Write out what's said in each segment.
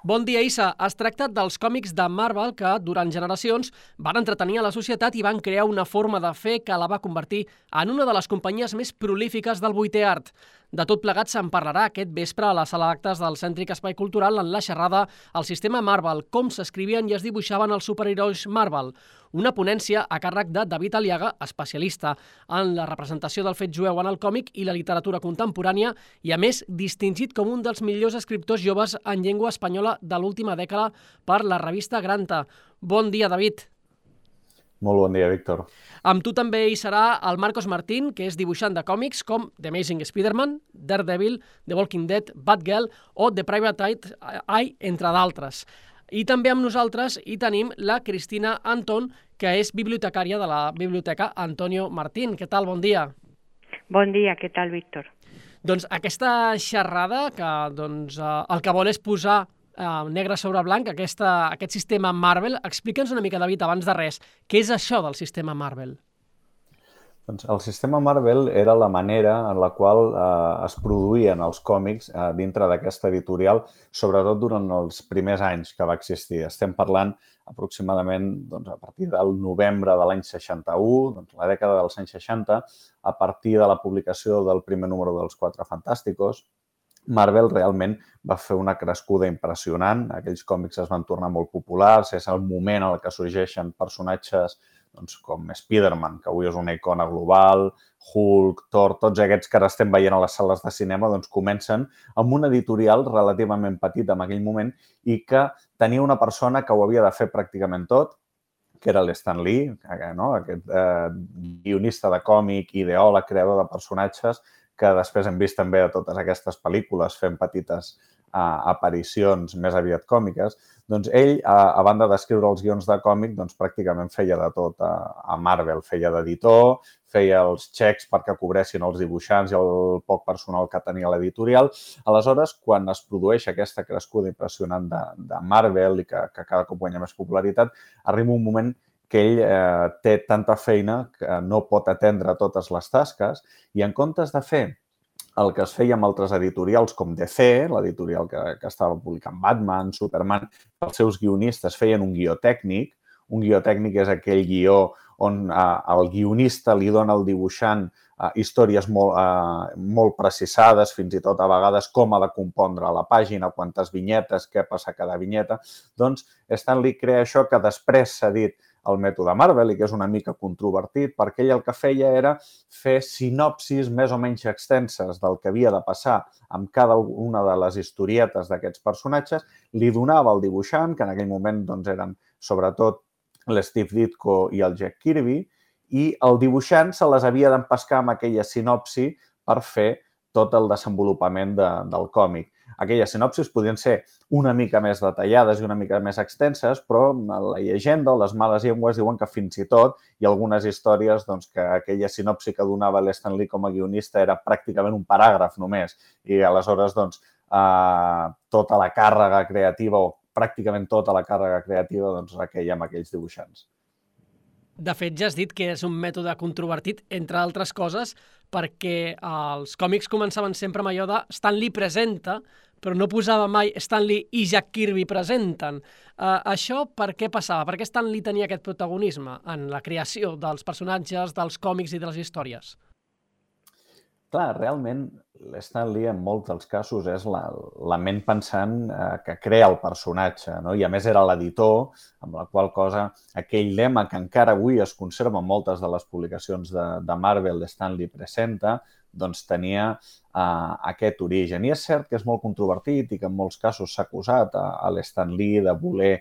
Bon dia, Issa. Es tracta dels còmics de Marvel que, durant generacions, van entretenir a la societat i van crear una forma de fer que la va convertir en una de les companyies més prolífiques del vuitè art. De tot plegat se'n parlarà aquest vespre a la sala d'actes del Cèntric Espai Cultural en la xerrada El sistema Marvel, com s'escrivien i es dibuixaven els superherois Marvel. Una ponència a càrrec de David Aliaga, especialista en la representació del fet jueu en el còmic i la literatura contemporània i, a més, distingit com un dels millors escriptors joves en llengua espanyola de l'última dècada per la revista Granta. Bon dia, David. Molt bon dia, Víctor. Amb tu també hi serà el Marcos Martín, que és dibuixant de còmics com The Amazing Spider-Man, Daredevil, The Walking Dead, Batgirl o The Private Eye, entre d'altres. I també amb nosaltres hi tenim la Cristina Anton, que és bibliotecària de la Biblioteca Antonio Martín. Què tal? Bon dia. Bon dia, què tal, Víctor? Doncs aquesta xerrada, que el que vol és posar negre sobre blanc aquest sistema Marvel. Explica'ns una mica, David, abans de res, què és això del sistema Marvel? Doncs el sistema Marvel era la manera en la qual es produïen els còmics dintre d'aquesta editorial, sobretot durant els primers anys que va existir. Estem parlant aproximadament a partir del novembre de l'any 61, la dècada dels anys 60, a partir de la publicació del primer número dels Quatre Fantàsticos. Marvel realment va fer una crescuda impressionant. Aquells còmics es van tornar molt populars. És el moment en què sorgeixen personatges com Spider-Man, que avui és una icona global, Hulk, Thor, tots aquests que ara estem veient a les sales de cinema, comencen amb un editorial relativament petit en aquell moment i que tenia una persona que ho havia de fer pràcticament tot, que era l'Stan Lee, aquest guionista de còmic, ideòleg, creador de personatges, que després hem vist també a totes aquestes pel·lícules fent petites aparicions més aviat còmiques. Doncs ell, a banda d'escriure els guions de còmic, pràcticament feia de tot a Marvel. Feia d'editor, feia els xecs perquè cobressin els dibuixants i el poc personal que tenia l'editorial. Aleshores, quan es produeix aquesta crescuda impressionant de Marvel i que cada cop guanya més popularitat, arriba un moment que ell té tanta feina que no pot atendre totes les tasques i en comptes de fer el que es feia amb altres editorials com DC, l'editorial que estava publicant Batman, Superman, els seus guionistes feien un guió tècnic. Un guió tècnic és aquell guió on el guionista li dona al dibuixant històries molt precisades, fins i tot a vegades com ha de compondre la pàgina, quantes vinyetes, què passa a cada vinyeta. Doncs Stan Lee crea això que després s'ha dit el mètode Marvel i que és una mica controvertit, perquè ell el que feia era fer sinopsis més o menys extenses del que havia de passar amb cada una de les historietes d'aquests personatges, li donava al dibuixant, que en aquell moment eren sobretot l'Steve Ditko i el Jack Kirby, i el dibuixant se les havia d'empescar amb aquella sinopsi per fer tot el desenvolupament del còmic. Aquelles sinopsis podien ser una mica més detallades i una mica més extenses, però la llegenda o les males llengües diuen que fins i tot hi ha algunes històries que aquella sinopsi que donava l'Stan Lee com a guionista era pràcticament un paràgraf només. I aleshores tota la càrrega creativa o pràcticament tota la càrrega creativa requeia amb aquells dibuixants. De fet, ja has dit que és un mètode controvertit, entre altres coses, perquè els còmics començaven sempre amb allò de Stan Lee presenta, però no posava mai Stan Lee i Jack Kirby presenten. Això per què passava? Per què Stan Lee tenia aquest protagonisme en la creació dels personatges, dels còmics i de les històries? Clar, realment l'Stan Lee en molts dels casos és la ment pensant que crea el personatge, no? I a més era l'editor, amb la qual cosa aquell lema que encara avui es conserva en moltes de les publicacions de Marvel, Stan Lee presenta, tenia aquest origen. I és cert que és molt controvertit i que en molts casos s'ha acusat a l'Stan Lee de voler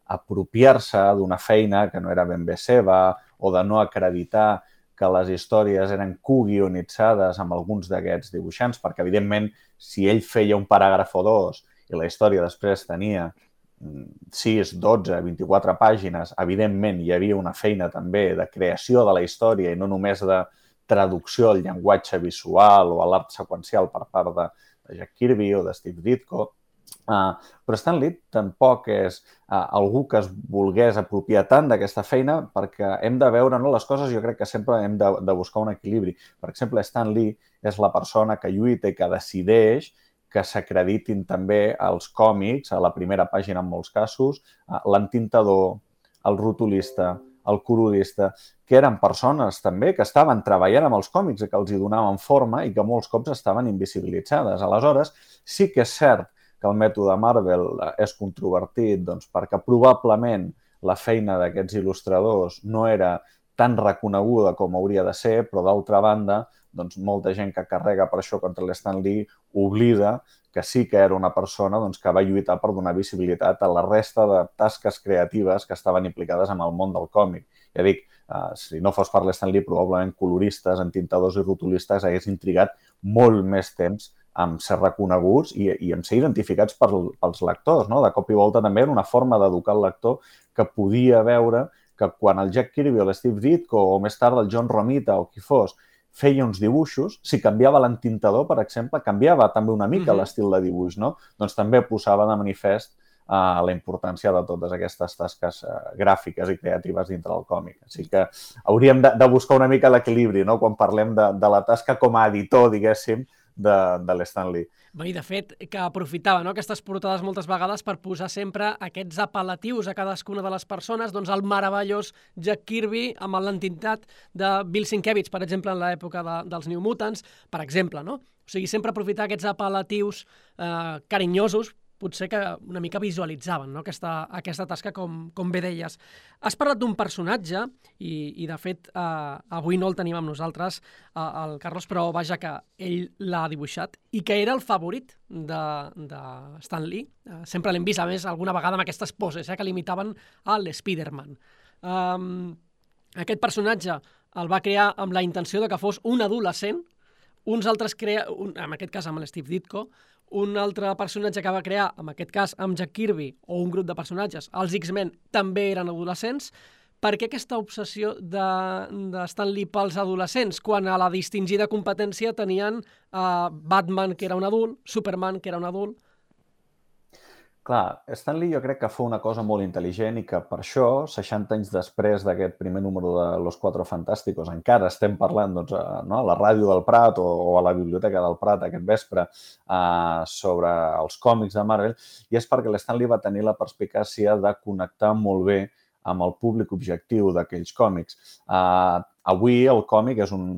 apropiar-se d'una feina que no era ben bé seva o de no acreditar que les històries eren coguionitzades amb alguns d'aquests dibuixants, perquè, evidentment, si ell feia un paràgraf o dos i la història després tenia 6, 12, 24 pàgines, evidentment hi havia una feina també de creació de la història i no només de traducció al llenguatge visual o a l'art seqüencial per part de Jack Kirby o de Steve Ditko. Però Stan Lee tampoc és algú que es volgués apropiar tant d'aquesta feina perquè hem de veure les coses, jo crec que sempre hem de buscar un equilibri. Per exemple, Stan Lee és la persona que lluita i que decideix que s'acreditin també els còmics, a la primera pàgina en molts casos, l'entintador, el rotulista, el colorista, que eren persones també que estaven treballant amb els còmics i que els hi donaven forma i que molts cops estaven invisibilitzades. Aleshores, sí que és cert que el mètode Marvel és controvertit perquè probablement la feina d'aquests il·lustradors no era tan reconeguda com hauria de ser, però d'altra banda, molta gent que carrega per això contra l'Stan Lee oblida que sí que era una persona que va lluitar per donar visibilitat a la resta de tasques creatives que estaven implicades en el món del còmic. Ja dic, si no fos per l'Stan Lee, probablement coloristes, entintadors i rotulistes haguessin trigat molt més temps en ser reconeguts i en ser identificats pels lectors. De cop i volta també era una forma d'educar el lector que podia veure que quan el Jack Kirby o l'Steve Ditko o més tard el John Romita o qui fos feia uns dibuixos, si canviava l'entintador, per exemple, canviava també una mica l'estil de dibuix, no? Doncs també posava de manifest la importància de totes aquestes tasques gràfiques i creatives dintre del còmic. Així que hauríem de buscar una mica l'equilibri, no?, quan parlem de la tasca com a editor, diguéssim, de l'Stan Lee. I de fet, que aprofitava aquestes portades moltes vegades per posar sempre aquests apel·latius a cadascuna de les persones, doncs el meravellós Jack Kirby amb l'entintat de Bill Sienkiewicz, per exemple, en l'època dels New Mutants, per exemple, no? O sigui, sempre aprofitar aquests apel·latius carinyosos, potser que una mica visualitzaven aquesta tasca, com bé deies. Has parlat d'un personatge, i de fet avui no el tenim amb nosaltres, el Carlos, però vaja que ell l'ha dibuixat, i que era el favorit de Stan Lee. Sempre l'hem vist, a més, alguna vegada amb aquestes poses que limitaven a l'Spiderman. Aquest personatge el va crear amb la intenció de que fos un adolescent, uns altres en aquest cas amb l'Steve Ditko, un altre personatge que va crear, en aquest cas amb Jack Kirby, o un grup de personatges, els X-Men, també eren adolescents. Per què aquesta obsessió de Stan Lee pels adolescents, quan a la distingida competència tenien Batman, que era un adult, Superman, que era un adult? Clar, Stan Lee jo crec que fa una cosa molt intel·ligent i que per això, 60 anys després d'aquest primer número de Los Cuatro Fantásticos, encara estem parlant a la ràdio del Prat o a la biblioteca del Prat aquest vespre sobre els còmics de Marvel, i és perquè l'Stan Lee va tenir la perspicàcia de connectar molt bé amb el públic objectiu d'aquells còmics. Avui el còmic és un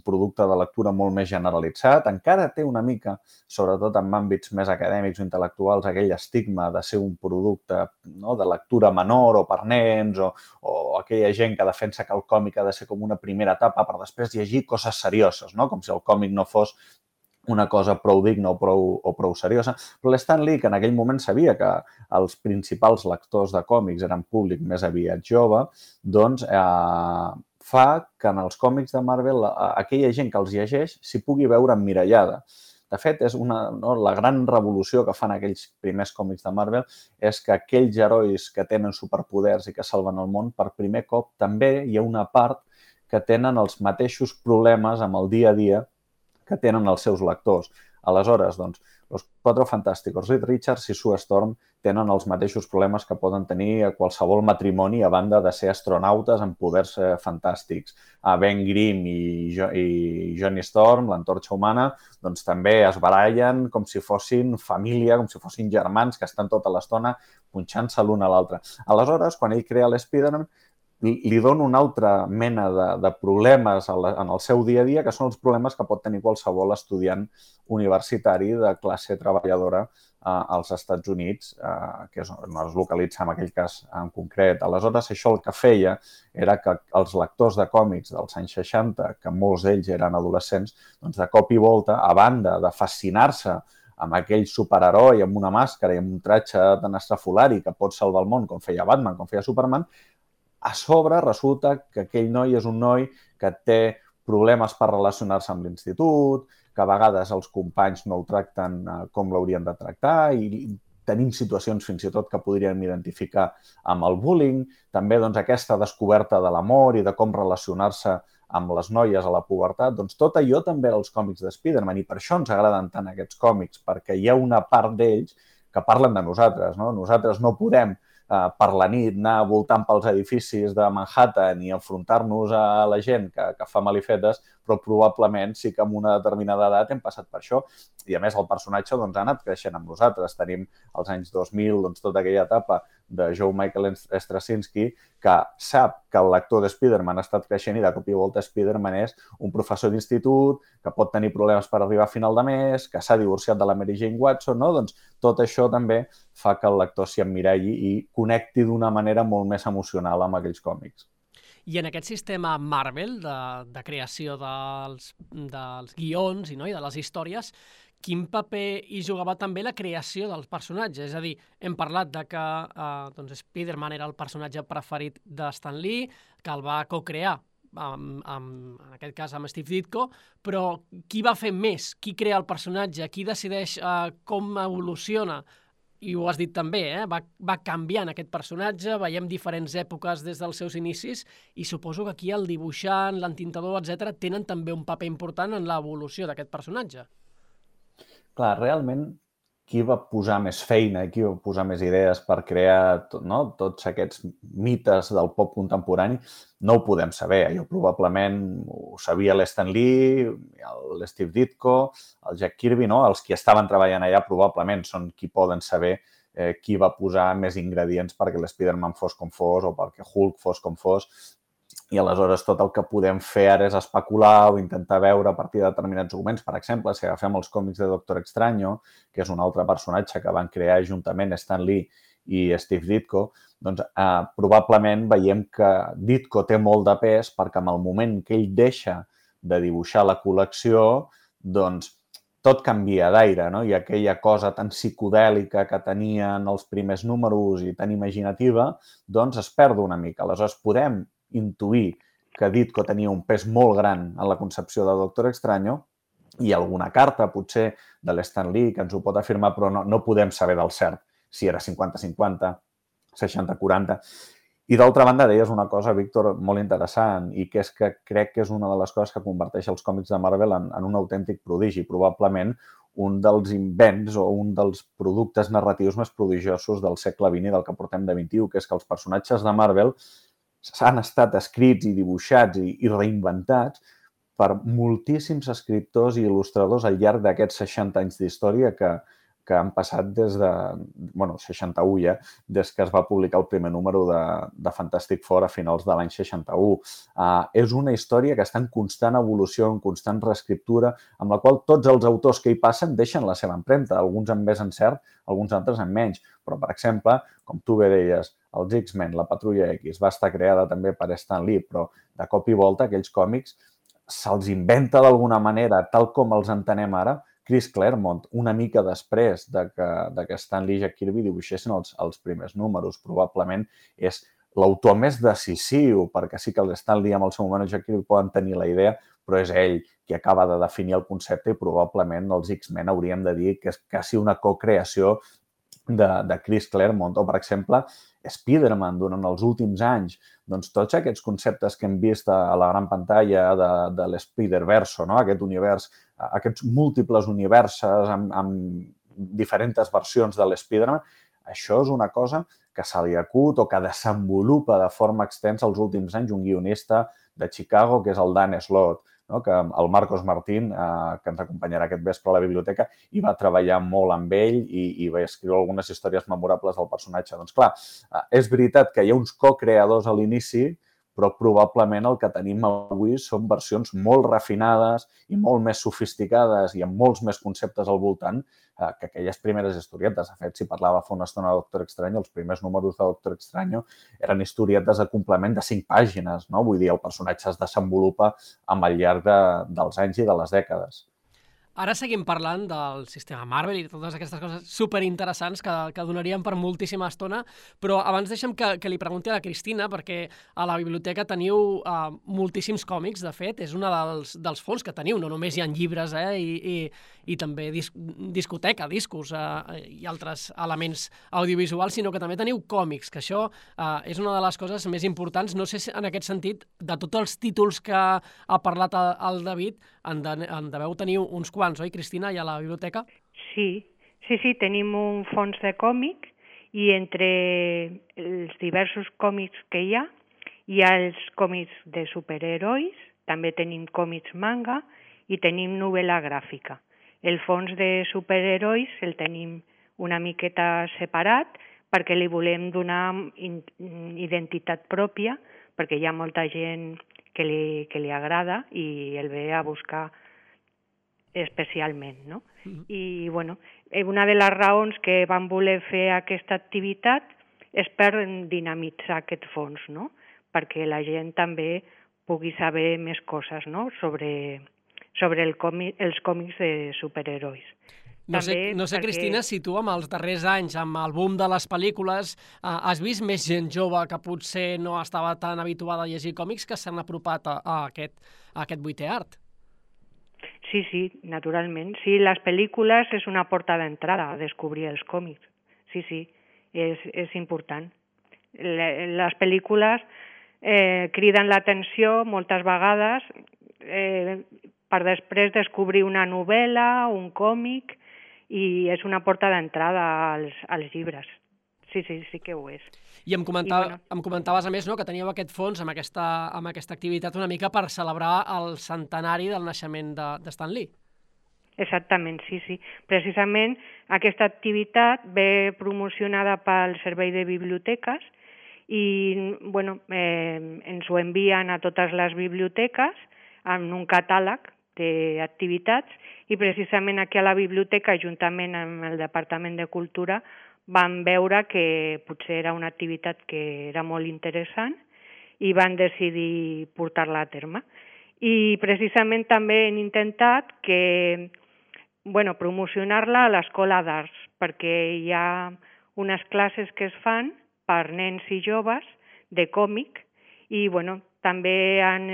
producte de lectura molt més generalitzat, encara té una mica, sobretot en àmbits més acadèmics o intel·lectuals, aquell estigma de ser un producte de lectura menor o per nens o aquella gent que defensa que el còmic ha de ser com una primera etapa per després llegir coses serioses, com si el còmic no fos una cosa prou digna o prou seriosa. Però l'Stan Lee, que en aquell moment sabia que els principals lectors de còmics eren públic més aviat jove, doncs fa que en els còmics de Marvel aquella gent que els llegeix s'hi pugui veure emmirallada. De fet, la gran revolució que fan aquells primers còmics de Marvel és que aquells herois que tenen superpoders i que salven el món, per primer cop també hi ha una part que tenen els mateixos problemes amb el dia a dia que tenen els seus lectors. Aleshores, doncs, Los Cuatro Fantásticos, Reed Richards i Sue Storm tenen els mateixos problemes que poden tenir a qualsevol matrimoni a banda de ser astronautes amb poders fantàstics. Ben Grimm i Johnny Storm, l'antorxa humana, doncs també es barallen com si fossin família, com si fossin germans que estan tota l'estona punxant-se l'un a l'altre. Aleshores, quan ell crea l'Spiderman, li dona una altra mena de problemes en el seu dia a dia, que són els problemes que pot tenir qualsevol estudiant universitari de classe treballadora als Estats Units, que no es localitza en aquell cas en concret. Aleshores, això el que feia era que els lectors de còmics dels anys 60, que molts d'ells eren adolescents, doncs de cop i volta, a banda de fascinar-se amb aquell superheroi amb una màscara i amb un tratge tan estrafolari que pot salvar el món com feia Batman, com feia Superman, a sobre resulta que aquell noi és un noi que té problemes per relacionar-se amb l'institut, que a vegades els companys no ho tracten com l'haurien de tractar i tenim situacions fins i tot que podríem identificar amb el bullying. També aquesta descoberta de l'amor i de com relacionar-se amb les noies a la pubertat. Doncs tot allò també als còmics de Spiderman i per això ens agraden tant aquests còmics, perquè hi ha una part d'ells que parlen de nosaltres. Nosaltres no podem per la nit anar voltant pels edificis de Manhattan i enfrontar-nos a la gent que fa malifetes, però però probablement sí que amb una determinada edat hem passat per això. I a més el personatge ha anat creixent amb nosaltres. Tenim als anys 2000 tota aquella etapa de Joe Michael Straczynski, que sap que el lector de Spider-Man ha estat creixent i de cop i volta Spider-Man és un professor d'institut que pot tenir problemes per arribar a final de mes, que s'ha divorciat de la Mary Jane Watson, no? Doncs tot això també fa que el lector s'hi emmiralli i connecti d'una manera molt més emocional amb aquells còmics. I en aquest sistema Marvel de creació dels guions i de les històries, quin paper hi jugava també la creació dels personatges? És a dir, hem parlat de que Spider-Man era el personatge preferit de Stan Lee, que el va co-crear, en aquest cas amb Steve Ditko, però qui va fer més? Qui crea el personatge? Qui decideix com evoluciona? I ho has dit també, va canviant aquest personatge, veiem diferents èpoques des dels seus inicis i suposo que aquí el dibuixant, l'entintador, etc., tenen també un paper important en l'evolució d'aquest personatge. Clar, realment, qui va posar més feina i qui va posar més idees per crear tots aquests mites del pop contemporani, no ho podem saber. Jo probablement ho sabia l'Stan Lee, l'Steve Ditko, el Jack Kirby, no? Els qui estaven treballant allà probablement són qui poden saber qui va posar més ingredients perquè l'Spider-Man fos com fos o perquè Hulk fos com fos. I aleshores tot el que podem fer ara és especular o intentar veure a partir de determinats documents. Per exemple, si agafem els còmics de Doctor Extraño, que és un altre personatge que van crear juntament Stan Lee i Steve Ditko, doncs probablement veiem que Ditko té molt de pes perquè en el moment que ell deixa de dibuixar la col·lecció, doncs tot canvia d'aire, no? I aquella cosa tan psicodèlica que tenien els primers números i tan imaginativa, doncs es perd una mica. Aleshores podem intuir que Ditko tenia un pes molt gran en la concepció de Doctor Extraño i alguna carta, potser, de l'Stan Lee que ens ho pot afirmar, però no podem saber del cert si era 50-50, 60-40. I d'altra banda, deies una cosa, Víctor, molt interessant, i que és que crec que és una de les coses que converteix els còmics de Marvel en un autèntic prodigi, probablement un dels invents o un dels productes narratius més prodigiosos del segle XX i del que portem de XXI, que és que els personatges de Marvel han estat escrits i dibuixats i reinventats per moltíssims escriptors i il·lustradors al llarg d'aquests 60 anys d'història que han passat des de... 61 ja, des que es va publicar el primer número de Fantastic Four a finals de l'any 61. És una història que està en constant evolució, en constant reescriptura, amb la qual tots els autors que hi passen deixen la seva empremta, alguns amb més encert, alguns altres amb menys. Però, per exemple, com tu bé deies, els X-Men, la Patrulla X, va estar creada també per Stan Lee, però de cop i volta aquells còmics se'ls inventa d'alguna manera, tal com els entenem ara, Chris Claremont, una mica després de que Stan Lee i Jack Kirby dibuixessin els primers números. Probablement és l'autor més decisiu, perquè sí que el Stan Lee amb el seu moment i Jack Kirby poden tenir la idea, però és ell qui acaba de definir el concepte i probablement els X-Men hauríem de dir que és quasi una co-creació de Chris Claremont. O, per exemple, Spider-Man durant els últims anys, doncs tots aquests conceptes que hem vist a la gran pantalla de l'Spider-Verso, no? Aquest univers, aquests múltiples universes amb diferents versions de l'Spider-Man, això és una cosa que se li acut o que desenvolupa de forma extensa els últims anys un guionista de Chicago, que és el Dan Slott, no? Que el Marcos Martín, que ens acompanyarà aquest vespre a la biblioteca, hi va treballar molt amb ell i va escriure algunes històries memorables del personatge. Doncs clar, és veritat que hi ha uns co-creadors a l'inici, però probablement el que tenim avui són versions molt refinades i molt més sofisticades i amb molts més conceptes al voltant que aquelles primeres historietes. De fet, si parlava fa una estona de Doctor Extraño, els primers números de Doctor Extraño eren historietes de complement de 5 pàgines, no? Vull dir, el personatge es desenvolupa amb el llarg dels anys i de les dècades. Ara seguim parlant del sistema Marvel i totes aquestes coses superinteressants que donaríem per moltíssima estona, però abans deixa'm que li pregunti a la Cristina, perquè a la biblioteca teniu moltíssims còmics, de fet, és un dels fons que teniu, no només hi ha llibres i també discoteca, discos i altres elements audiovisuals, sinó que també teniu còmics, que això és una de les coses més importants. No sé si en aquest sentit, de tots els títols que ha parlat el David, en deveu tenir uns quants, oi, Cristina, allà a la biblioteca? Sí, tenim un fons de còmics i entre els diversos còmics que hi ha els còmics de superherois, també tenim còmics manga i tenim novel·la gràfica. El fons de superherois el tenim una miqueta separat perquè li volem donar identitat pròpia, perquè hi ha molta gent que li agrada i el ve a buscar especialment, no? I, bueno, una de les raons que vam voler fer aquesta activitat és per dinamitzar aquest fons, no? Perquè la gent també pugui saber més coses, no? sobre els còmics de superherois. No sé, perquè... Cristina, si tu amb els darrers anys, amb el boom de les pel·lícules, has vist més gent jove que potser no estava tan habituada a llegir còmics que s'han apropat a aquest vuitè art? Sí, naturalment. Sí, les pel·lícules és una porta d'entrada a descobrir els còmics. Sí, és important. Les pel·lícules criden l'atenció moltes vegades per després descobrir una novel·la, un còmic, i és una porta d'entrada als llibres. Sí que ho és. I em comentaves, a més, no, que teníeu aquest fons amb aquesta activitat una mica per celebrar el centenari del naixement de Stan Lee. Exactament, sí. Precisament aquesta activitat ve promocionada pel Servei de Biblioteques i ens ho envien a totes les biblioteques en un catàleg d'activitats i precisament aquí a la biblioteca, juntament amb el Departament de Cultura, van veure que potser era una activitat que era molt interessant i van decidir portar-la a terme. I precisament també hem intentat promocionar-la a l'Escola d'Arts, perquè hi ha unes classes que es fan per nens i joves de còmic i també han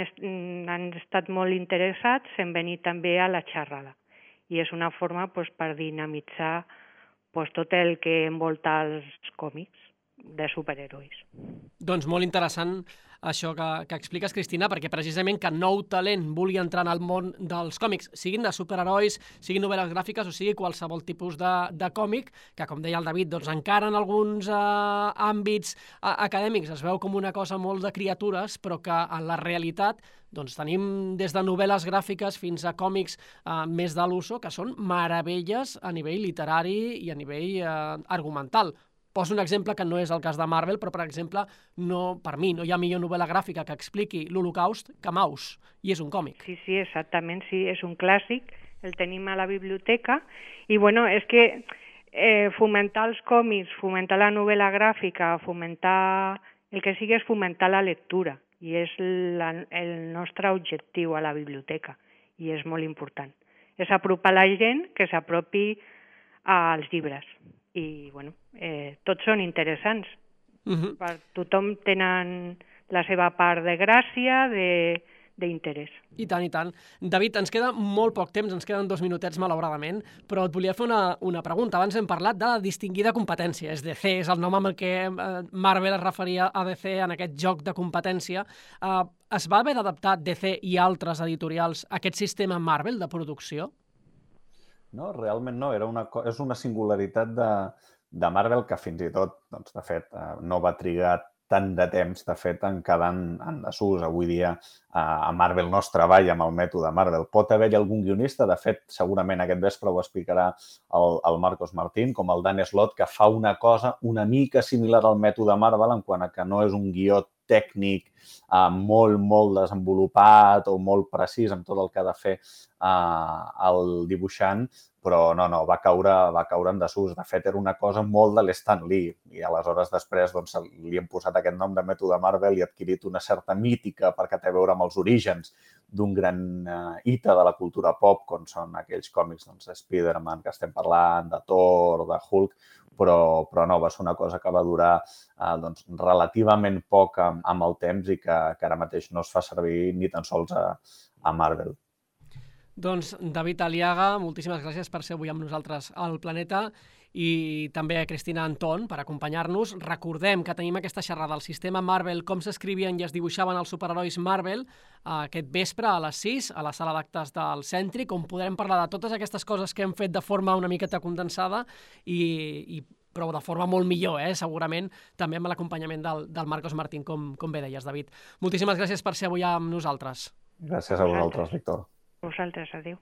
estat molt interessats en venir també a la xerrada. I és una forma per dinamitzar tot el que envolta els còmics de superherois. Doncs molt interessant això que expliques, Cristina, perquè precisament que nou talent vulgui entrar en el món dels còmics, siguin de superherois, siguin novel·les gràfiques o sigui qualsevol tipus de còmic, que com deia el David, doncs encara en alguns àmbits acadèmics es veu com una cosa molt de criatures, però que en la realitat doncs tenim des de novel·les gràfiques fins a còmics més de l'uso, que són meravelles a nivell literari i a nivell argumental. Poso un exemple que no és el cas de Marvel, però, per exemple, per mi no hi ha millor novel·la gràfica que expliqui l'Holocaust que Maus, i és un còmic. Sí, exactament, sí, és un clàssic, el tenim a la biblioteca, i és que fomentar els còmics, fomentar la novel·la gràfica, fomentar el que sigui és fomentar la lectura, i és el nostre objectiu a la biblioteca, i és molt important. És apropar la gent que s'apropi als llibres. I, tots són interessants. Per tothom tenen la seva part de gràcia, d'interès. I tant. David, ens queda molt poc temps, ens queden 2 minutets, malauradament, però et volia fer una pregunta. Abans hem parlat de la distingida competència. És DC, és el nom amb el que Marvel es referia a DC en aquest joc de competència. Es va haver d'adaptar DC i altres editorials a aquest sistema Marvel de producció? No, realment no. És una singularitat de Marvel que fins i tot, de fet, no va trigar tant de temps, de fet, en quedar en desús. Avui dia a Marvel no es treballa amb el mètode Marvel. Pot haver-hi algun guionista, de fet, segurament aquest vespre ho explicarà el Marcos Martín, com el Dan Slott, que fa una cosa una mica similar al mètode Marvel, en quant a que no és un guió tècnic molt desenvolupat o molt precís amb tot el que ha de fer el dibuixant, però no, va caure en desús. De fet, era una cosa molt de l'Stan Lee i aleshores després li han posat aquest nom de mètode Marvel i ha adquirit una certa mítica perquè té a veure amb els orígens d'un gran hito de la cultura pop, com són aquells còmics de Spider-Man que estem parlant, de Thor, de Hulk, però no, va ser una cosa que va durar relativament poc amb el temps i que ara mateix no es fa servir ni tan sols a Marvel. Doncs, David Aliaga, moltíssimes gràcies per ser avui amb nosaltres al Planeta i també a Cristina Anton per acompanyar-nos. Recordem que tenim aquesta xerrada del sistema Marvel, com s'escrivien i es dibuixaven els superherois Marvel, aquest vespre a les 6 a la sala d'actes del Cèntric, on podrem parlar de totes aquestes coses que hem fet de forma una miqueta condensada però de forma molt millor, segurament, també amb l'acompanyament del Marcos Martín, com bé deies, David. Moltíssimes gràcies per ser avui amb nosaltres. Gràcies a vosaltres, Víctor. Vosaltres, adéu.